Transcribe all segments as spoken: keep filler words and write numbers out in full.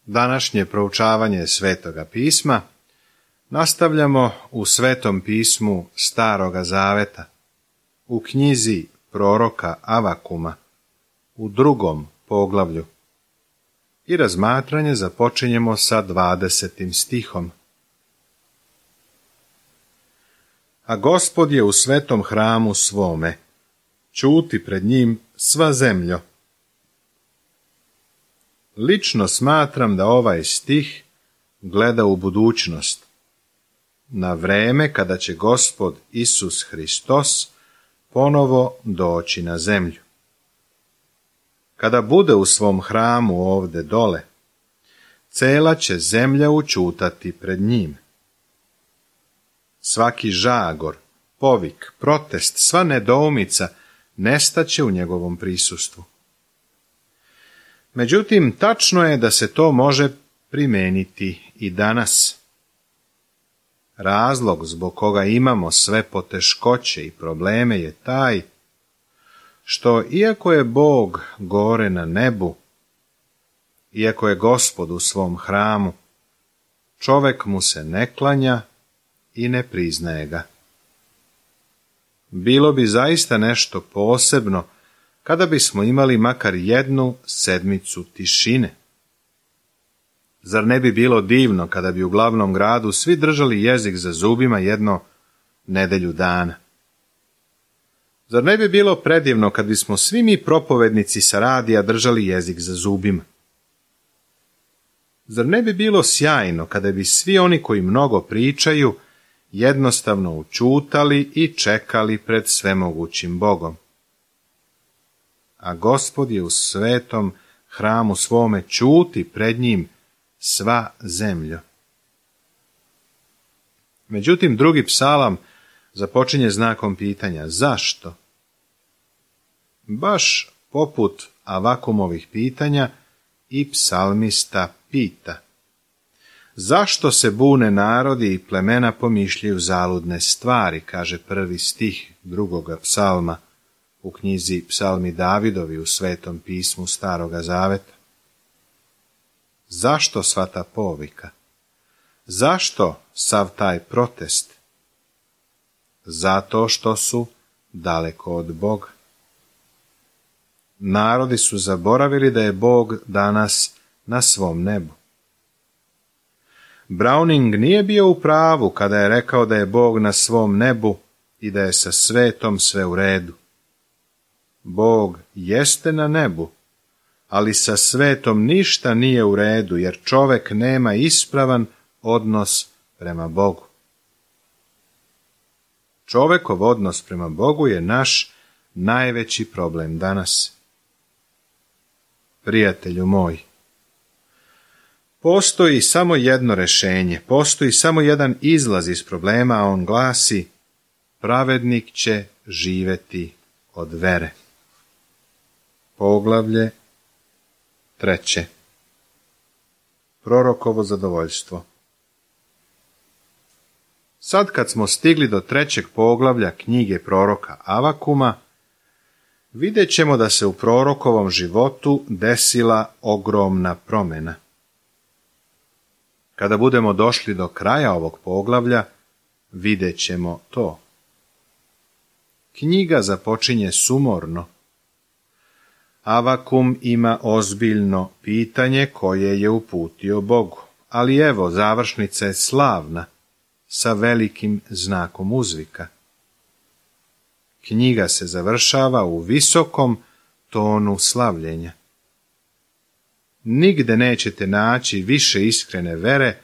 Današnje proučavanje Svetoga pisma nastavljamo u Svetom pismu Staroga Zaveta, u knjizi proroka Avakuma, u drugom poglavlju. I razmatranje započinjemo sa dvadesetim stihom. A Gospod je u svetom hramu svome, ćuti pred njim sva zemljo. Lično smatram da ovaj stih gleda u budućnost, na vreme kada će Gospod Isus Hristos ponovo doći na zemlju. Kada bude u svom hramu ovde dole, cela će zemlja učutati pred njim. Svaki žagor, povik, protest, sva nedoumica nestaće u njegovom prisustvu. Međutim, tačno je da se to može primeniti i danas. Razlog zbog koga imamo sve poteškoće i probleme je taj što iako je Bog gore na nebu, iako je Gospod u svom hramu, čovek mu se ne klanja i ne priznaje ga. Bilo bi zaista nešto posebno kada bismo imali makar jednu sedmicu tišine. Zar ne bi bilo divno kada bi u glavnom gradu svi držali jezik za zubima jedno nedelju dana? Zar ne bi bilo predivno kad bismo svi mi propovednici sa radija držali jezik za zubima? Zar ne bi bilo sjajno kada bi svi oni koji mnogo pričaju jednostavno učutali i čekali pred svemogućim Bogom? A Gospod je u svetom hramu svome, ćuti pred njim sva zemljo. Međutim, drugi psalam započinje znakom pitanja. Zašto? Baš poput Avakumovih pitanja i psalmista pita. Zašto se bune narodi i plemena pomišljaju zaludne stvari, kaže prvi stih drugoga psalma u knjizi Psalmi Davidovi u Svetom pismu Staroga Zaveta. Zašto sva ta povika? Zašto sav taj protest? Zato što su daleko od Boga. Narodi su zaboravili da je Bog danas na svom nebu. Browning nije bio u pravu kada je rekao da je Bog na svom nebu i da je sa svetom sve u redu. Bog jeste na nebu, ali sa svetom ništa nije u redu, jer čovek nema ispravan odnos prema Bogu. Čovekov odnos prema Bogu je naš najveći problem danas. Prijatelju moj, postoji samo jedno rešenje, postoji samo jedan izlaz iz problema, a on glasi: pravednik će živeti od vere. Poglavlje treće. Prorokovo zadovoljstvo. Sad kad smo stigli do trećeg poglavlja knjige proroka Avakuma, vidjet ćemo da se u prorokovom životu desila ogromna promjena. Kada budemo došli do kraja ovog poglavlja, vidjet ćemo to. Knjiga započinje sumorno. Avakum ima ozbiljno pitanje koje je uputio Bogu, ali evo, završnica je slavna, sa velikim znakom uzvika. Knjiga se završava u visokom tonu slavljenja. Nigde nećete naći više iskrene vere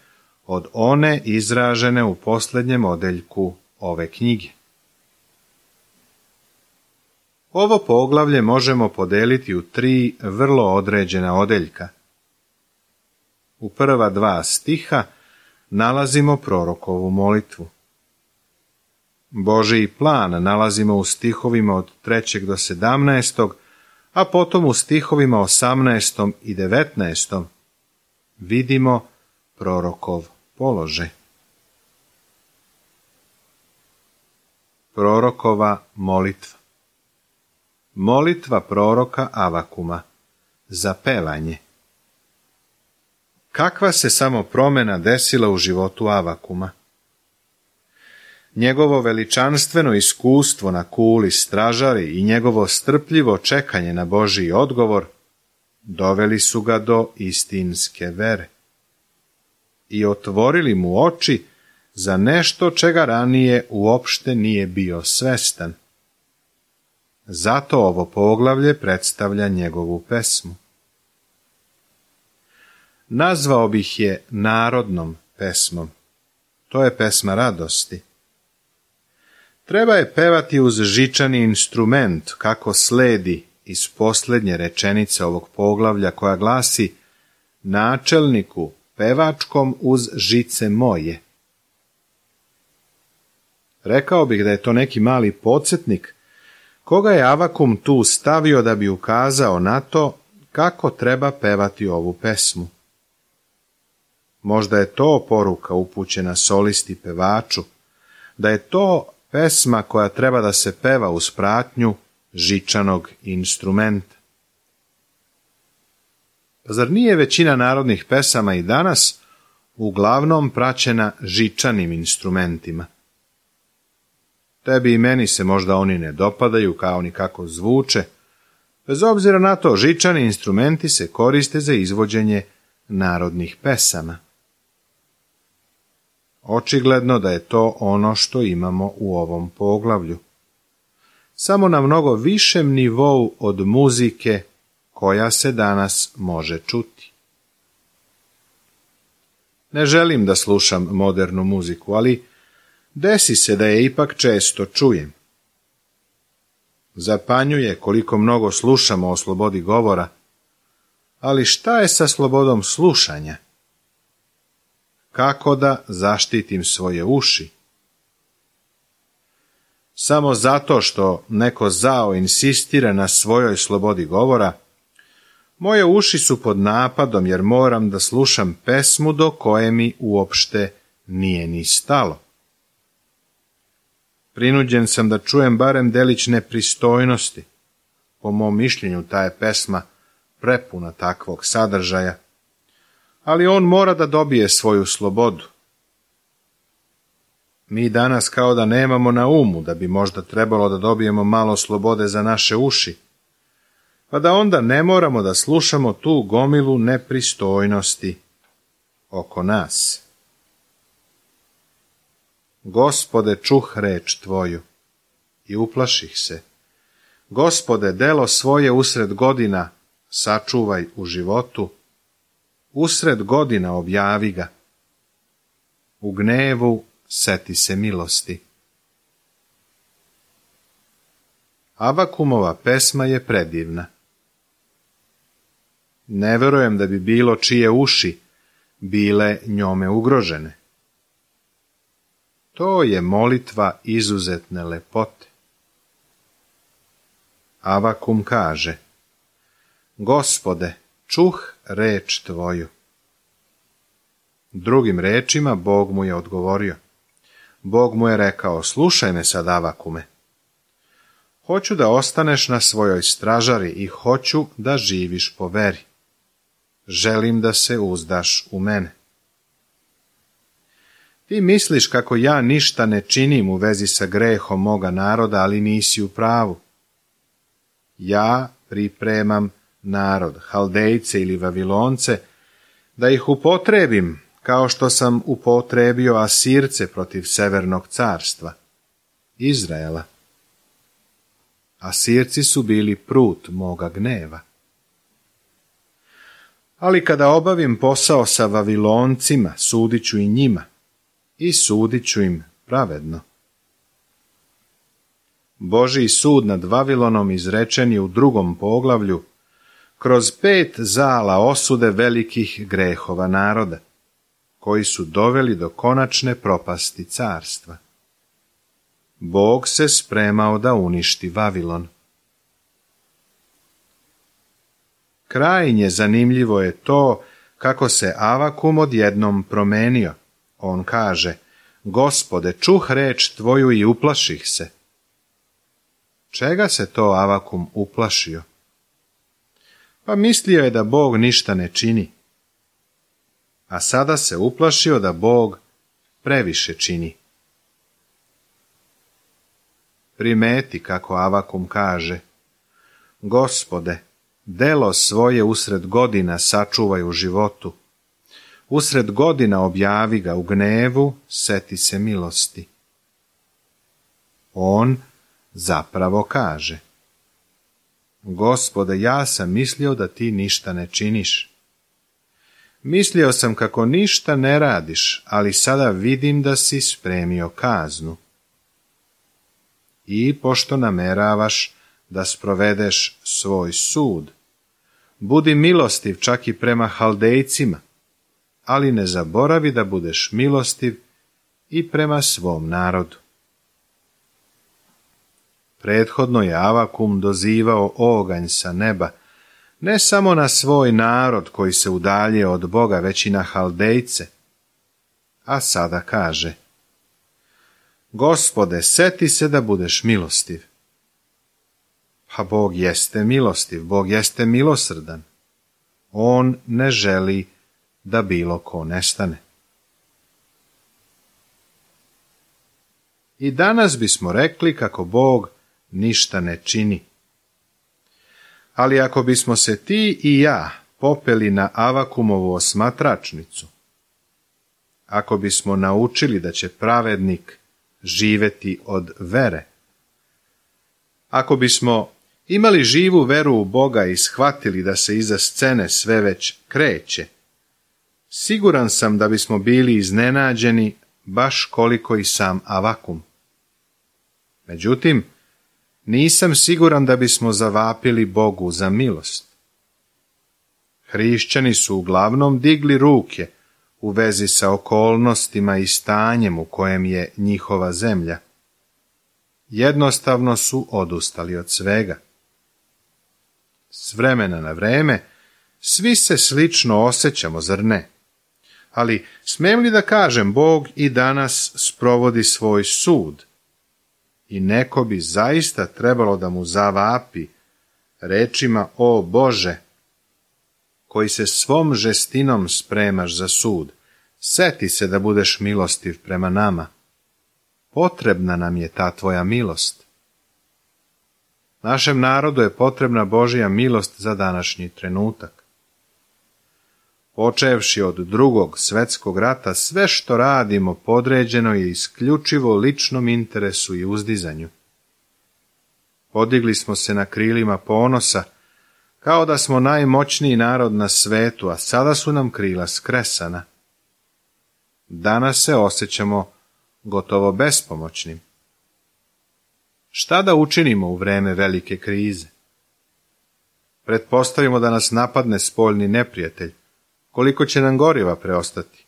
od one izražene u posljednjem odeljku ove knjige. Ovo poglavlje možemo podeliti u tri vrlo određena odeljka. U prva dva stiha nalazimo prorokovu molitvu. Božji plan nalazimo u stihovima od trećeg do sedamnaestog, a potom u stihovima osamnaestom i devetnaestom vidimo prorokov položaj. Prorokova molitva. Molitva proroka Avakuma za pevanje. Kakva se samo promjena desila u životu Avakuma. Njegovo veličanstveno iskustvo na kuli stražari i njegovo strpljivo čekanje na Božji odgovor doveli su ga do istinske vere i otvorili mu oči za nešto čega ranije uopšte nije bio svestan. Zato ovo poglavlje predstavlja njegovu pesmu. Nazvao bih je narodnom pesmom. To je pesma radosti. Treba je pevati uz žičani instrument, kako sledi iz posljednje rečenice ovog poglavlja, koja glasi: načelniku pevačkom uz žice moje. Rekao bih da je to neki mali podsjetnik koga je Avakum tu stavio da bi ukazao na to kako treba pevati ovu pesmu. Možda je to poruka upućena solisti pevaču, da je to pesma koja treba da se peva uz pratnju žičanog instrumenta. Pa zar nije većina narodnih pesama i danas uglavnom praćena žičanim instrumentima? Tebi i meni se možda oni ne dopadaju kao ni kako zvuče. Bez obzira na to, žičani instrumenti se koriste za izvođenje narodnih pesama. Očigledno da je to ono što imamo u ovom poglavlju. Samo na mnogo višem nivou od muzike koja se danas može čuti. Ne želim da slušam modernu muziku, ali desi se da je ipak često čujem. Zapanjuje koliko mnogo slušamo o slobodi govora, ali šta je sa slobodom slušanja? Kako da zaštitim svoje uši? Samo zato što neko zao insistira na svojoj slobodi govora, moje uši su pod napadom jer moram da slušam pesmu do koje mi uopšte nije ni stalo. Prinuđen sam da čujem barem delić nepristojnosti. Po mom mišljenju ta je pesma prepuna takvog sadržaja, ali on mora da dobije svoju slobodu. Mi danas kao da nemamo na umu da bi možda trebalo da dobijemo malo slobode za naše uši, pa da onda ne moramo da slušamo tu gomilu nepristojnosti oko nas. Gospode, čuh reč tvoju i uplaših se. Gospode, delo svoje usred godina sačuvaj u životu, usred godina objavi ga. U gnevu seti se milosti. Avakumova pesma je predivna. Ne verujem da bi bilo čije uši bile njome ugrožene. To je molitva izuzetne lepote. Avakum kaže: Gospode, čuh reč tvoju. Drugim rečima Bog mu je odgovorio. Bog mu je rekao: slušaj me sad, Avakume. Hoću da ostaneš na svojoj stražari i hoću da živiš po veri. Želim da se uzdaš u mene. Ti misliš kako ja ništa ne činim u vezi sa grehom moga naroda, ali nisi u pravu. Ja pripremam narod, Haldejce ili Vavilonce, da ih upotrebim, kao što sam upotrebio Asirce protiv Severnog carstva, Izraela. Asirci su bili prut moga gneva. Ali kada obavim posao sa Vaviloncima, sudit ću i njima, i sudit ću im pravedno. Božji sud nad Vavilonom izrečen je u drugom poglavlju, kroz pet zala osude velikih grehova naroda, koji su doveli do konačne propasti carstva. Bog se spremao da uništi Vavilon. Krajnje zanimljivo je to kako se Avakum odjednom promenio. On kaže: Gospode, čuh reč tvoju i uplaših se. Čega se to Avakum uplašio? Pa mislio je da Bog ništa ne čini. a sada se uplašio da Bog previše čini. Primeti kako Avakum kaže: Gospode, delo svoje usred godina sačuvaj u životu. Usred godina objavi ga u gnevu, seti se milosti. On zapravo kaže: Gospode, ja sam mislio da ti ništa ne činiš. Mislio sam kako ništa ne radiš, ali sada vidim da si spremio kaznu. I pošto nameravaš da sprovedeš svoj sud, budi milostiv čak i prema Haldejcima, ali ne zaboravi da budeš milostiv i prema svom narodu. Prethodno je Avakum dozivao oganj sa neba, ne samo na svoj narod koji se udaljio od Boga, već i na Haldejce. A sada kaže: Gospode, seti se da budeš milostiv. Pa Bog jeste milostiv, Bog jeste milosrdan. On ne želi da bilo ko nestane. I danas bismo rekli kako Bog ništa ne čini. Ali ako bismo se ti i ja popeli na Avakumovu osmatračnicu, ako bismo naučili da će pravednik živeti od vere, ako bismo imali živu veru u Boga i shvatili da se iza scene sve već kreće, siguran sam da bismo bili iznenađeni baš koliko i sam Avakum. Međutim, nisam siguran da bismo zavapili Bogu za milost. Hrišćani su uglavnom digli ruke u vezi sa okolnostima i stanjem u kojem je njihova zemlja. Jednostavno su odustali od svega. S vremena na vreme svi se slično osjećamo, zar ne? Ali smijem li da kažem, Bog i danas sprovodi svoj sud i neko bi zaista trebalo da mu zavapi rečima: O Bože, koji se svom žestinom spremaš za sud, seti se da budeš milostiv prema nama. Potrebna nam je ta tvoja milost. Našem narodu je potrebna Božja milost za današnji trenutak. Počevši od drugog svjetskog rata, sve što radimo podređeno je isključivo ličnom interesu i uzdizanju. Podigli smo se na krilima ponosa, kao da smo najmoćniji narod na svetu, a sada su nam krila skresana. Danas se osjećamo gotovo bespomoćnim. Šta da učinimo u vreme velike krize? Pretpostavimo da nas napadne spoljni neprijatelj. Koliko će nam goriva preostati?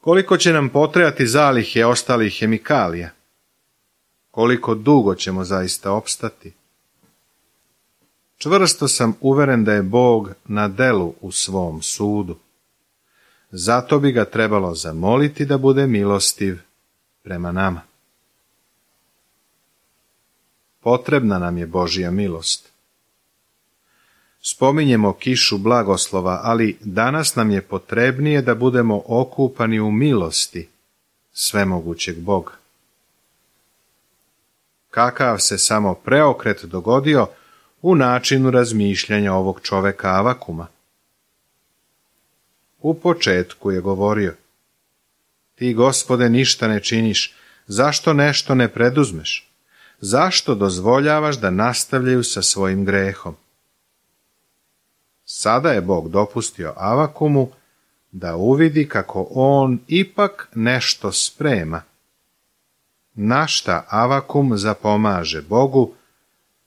Koliko će nam potrajati zalihe ostalih hemikalija? Koliko dugo ćemo zaista opstati? Čvrsto sam uveren da je Bog na delu u svom sudu. Zato bi ga trebalo zamoliti da bude milostiv prema nama. Potrebna nam je Božja milost. Spominjemo kišu blagoslova, ali danas nam je potrebnije da budemo okupani u milosti svemogućeg Boga. Kakav se samo preokret dogodio u načinu razmišljanja ovog čoveka Avakuma. U početku je govorio: Ti, Gospode, ništa ne činiš, zašto nešto ne preduzmeš? Zašto dozvoljavaš da nastavljaju sa svojim grehom? Sada je Bog dopustio Avakumu da uvidi kako on ipak nešto sprema. Na šta Avakum zapomaže Bogu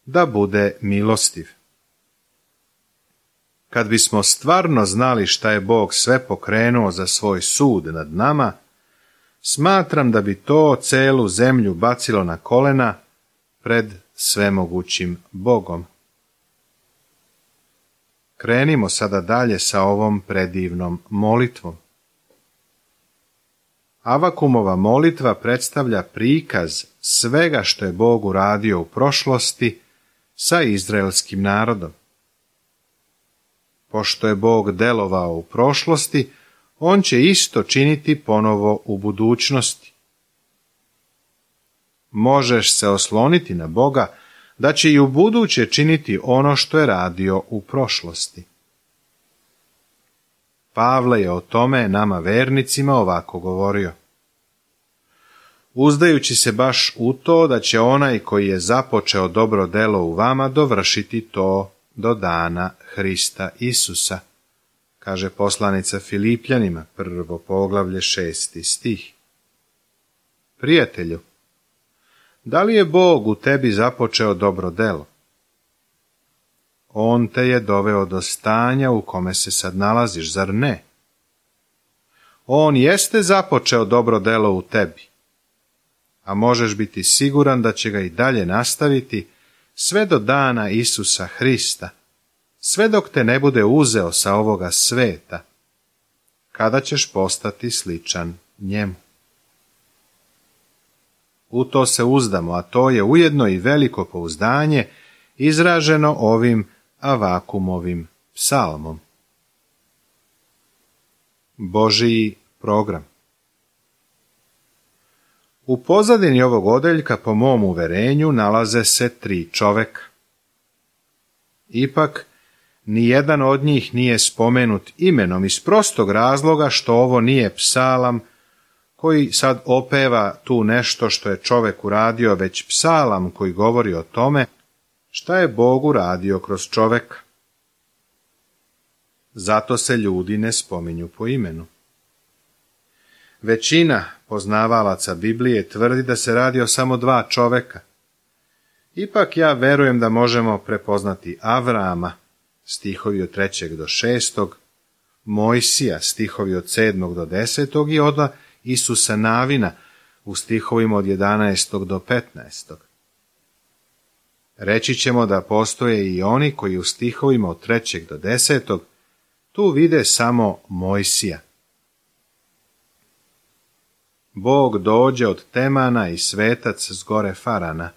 da bude milostiv. Kad bismo stvarno znali šta je Bog sve pokrenuo za svoj sud nad nama, smatram da bi to celu zemlju bacilo na kolena pred svemogućim Bogom. Krenimo sada dalje sa ovom predivnom molitvom. Avakumova molitva predstavlja prikaz svega što je Bog uradio u prošlosti sa izraelskim narodom. Pošto je Bog delovao u prošlosti, on će isto činiti ponovo u budućnosti. Možeš se osloniti na Boga da će i u buduće činiti ono što je radio u prošlosti. Pavle je o tome nama vernicima ovako govorio. Uzdajući se baš u to da će onaj koji je započeo dobro delo u vama dovršiti to do dana Hrista Isusa, kaže poslanica Filipljanima, prvo poglavlje, šesti stih. Prijatelju, da li je Bog u tebi započeo dobro delo? On te je doveo do stanja u kome se sad nalaziš, zar ne? On jeste započeo dobro delo u tebi, a možeš biti siguran da će ga i dalje nastaviti sve do dana Isusa Hrista, sve dok te ne bude uzeo sa ovoga sveta, kada ćeš postati sličan njemu. U to se uzdamo, a to je ujedno i veliko pouzdanje izraženo ovim Avakumovim psalmom. Božiji program. U pozadini ovog odeljka, po mom uverenju, nalaze se tri čoveka. Ipak, nijedan od njih nije spomenut imenom iz prostog razloga što ovo nije psalam koji sad opeva tu nešto što je čovek uradio, već psalam koji govori o tome šta je Bog uradio kroz čoveka. Zato se ljudi ne spominju po imenu. Većina poznavalaca Biblije tvrdi da se radi o samo dva čoveka. Ipak ja verujem da možemo prepoznati Avrama, stihovi od trećeg do šestog, Mojsija, stihovi od sedmog do desetog i onda Isusa Navina u stihovima od jedanaestog do petnaestog. Reći ćemo da postoje i oni koji u stihovima od trećeg do desetog tu vide samo Mojsija. Bog dođe od Temana i svetac s gore Farana.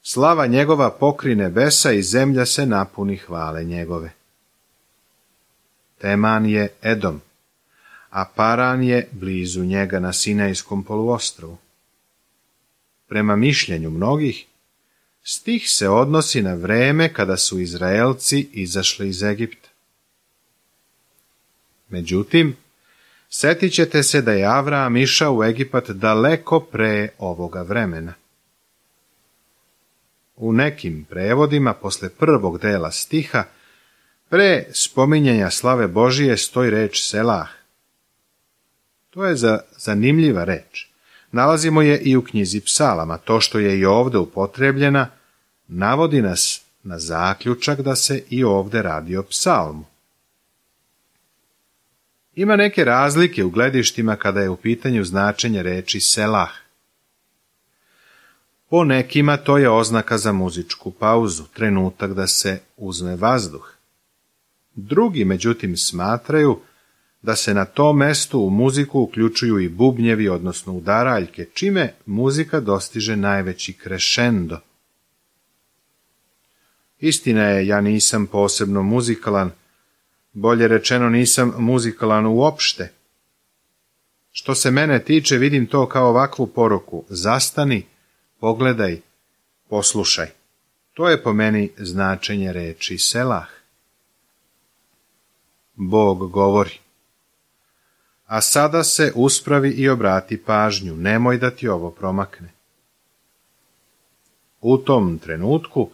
Slava njegova pokri nebesa i zemlja se napuni hvale njegove. Teman je Edom, a Paran je blizu njega na Sinajskom poluostrvu. Prema mišljenju mnogih, stih se odnosi na vreme kada su Izraelci izašli iz Egipta. Međutim, setit ćete se da je Avram išao u Egipat daleko pre ovoga vremena. U nekim prevodima, posle prvog dela stiha, pre spominjanja slave Božije stoji reč Selah. To je za zanimljiva reč. Nalazimo je i u knjizi psalama. To što je i ovde upotrebljena, navodi nas na zaključak da se i ovde radi o psalmu. Ima neke razlike u gledištima kada je u pitanju značenje reči Selah. Po nekima to je oznaka za muzičku pauzu, trenutak da se uzme vazduh. Drugi, međutim, smatraju da se na tom mestu u muziku uključuju i bubnjevi, odnosno udaraljke, čime muzika dostiže najveći krešendo. Istina je, ja nisam posebno muzikalan, bolje rečeno nisam muzikalan uopšte. Što se mene tiče, vidim to kao ovakvu poruku: zastani, pogledaj, poslušaj. To je po meni značenje reči Selah. Bog govori: a sada se uspravi i obrati pažnju, nemoj da ti ovo promakne. U tom trenutku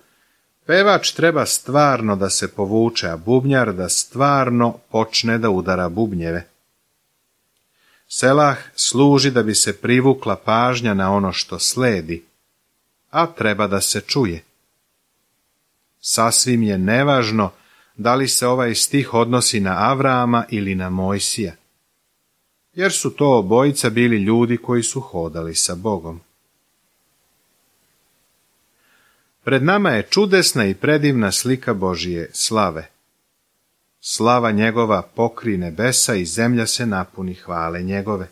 pevač treba stvarno da se povuče, a bubnjar da stvarno počne da udara bubnjeve. Selah služi da bi se privukla pažnja na ono što sledi, a treba da se čuje. Sasvim je nevažno da li se ovaj stih odnosi na Avrama ili na Mojsija, jer su to obojica bili ljudi koji su hodali sa Bogom. Pred nama je čudesna i predivna slika Božije slave. Slava njegova pokri nebesa i zemlja se napuni hvale njegove.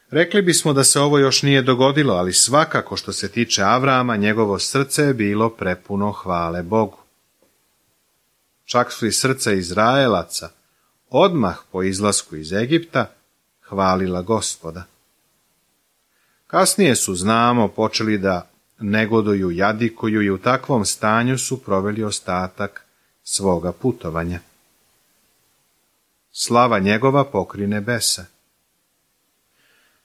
Rekli bismo da se ovo još nije dogodilo, ali svakako što se tiče Avrama, njegovo srce je bilo prepuno hvale Bogu. čak su i srca Izraelaca odmah po izlasku iz Egipta hvalila Gospoda. Kasnije su, znamo, počeli da negoduju, jadikuju i u takvom stanju su proveli ostatak svoga putovanja. Slava njegova pokri nebesa.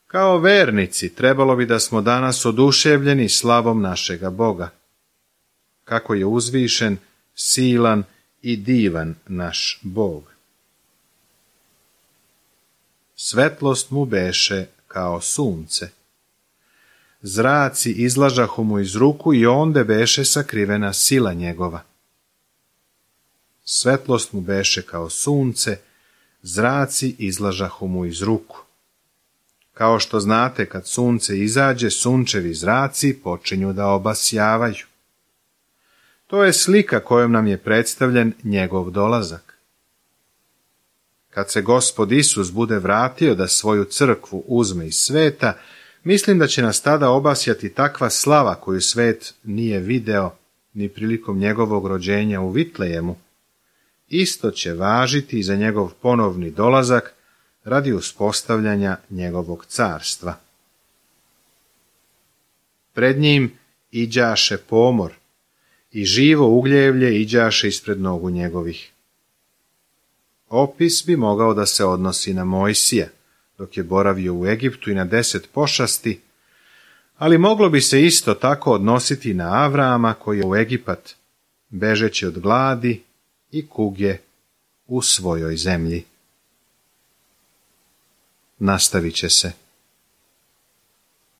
Kao vernici trebalo bi da smo danas oduševljeni slavom našega Boga. Kako je uzvišen, silan i divan naš Bog. Svetlost mu beše kao sunce. Zraci izlažahu mu iz ruku i onde beše sakrivena sila njegova. Svetlost mu beše kao sunce, zraci izlažahu mu iz ruku. Kao što znate, kad sunce izađe, sunčevi zraci počinju da obasjavaju. To je slika kojom nam je predstavljen njegov dolazak. Kad se Gospod Isus bude vratio da svoju crkvu uzme iz sveta, mislim da će nas tada obasjati takva slava koju svet nije video ni prilikom njegovog rođenja u Vitlejemu. Isto će važiti i za njegov ponovni dolazak radi uspostavljanja njegovog carstva. Pred njim iđaše pomor i živo ugljevlje iđaše ispred nogu njegovih. Opis bi mogao da se odnosi na Mojsija, dok je boravio u Egiptu, i na deset pošasti, ali moglo bi se isto tako odnositi na Avrama koji je u Egipat, bežeći od gladi i kuge u svojoj zemlji. Nastavit će se.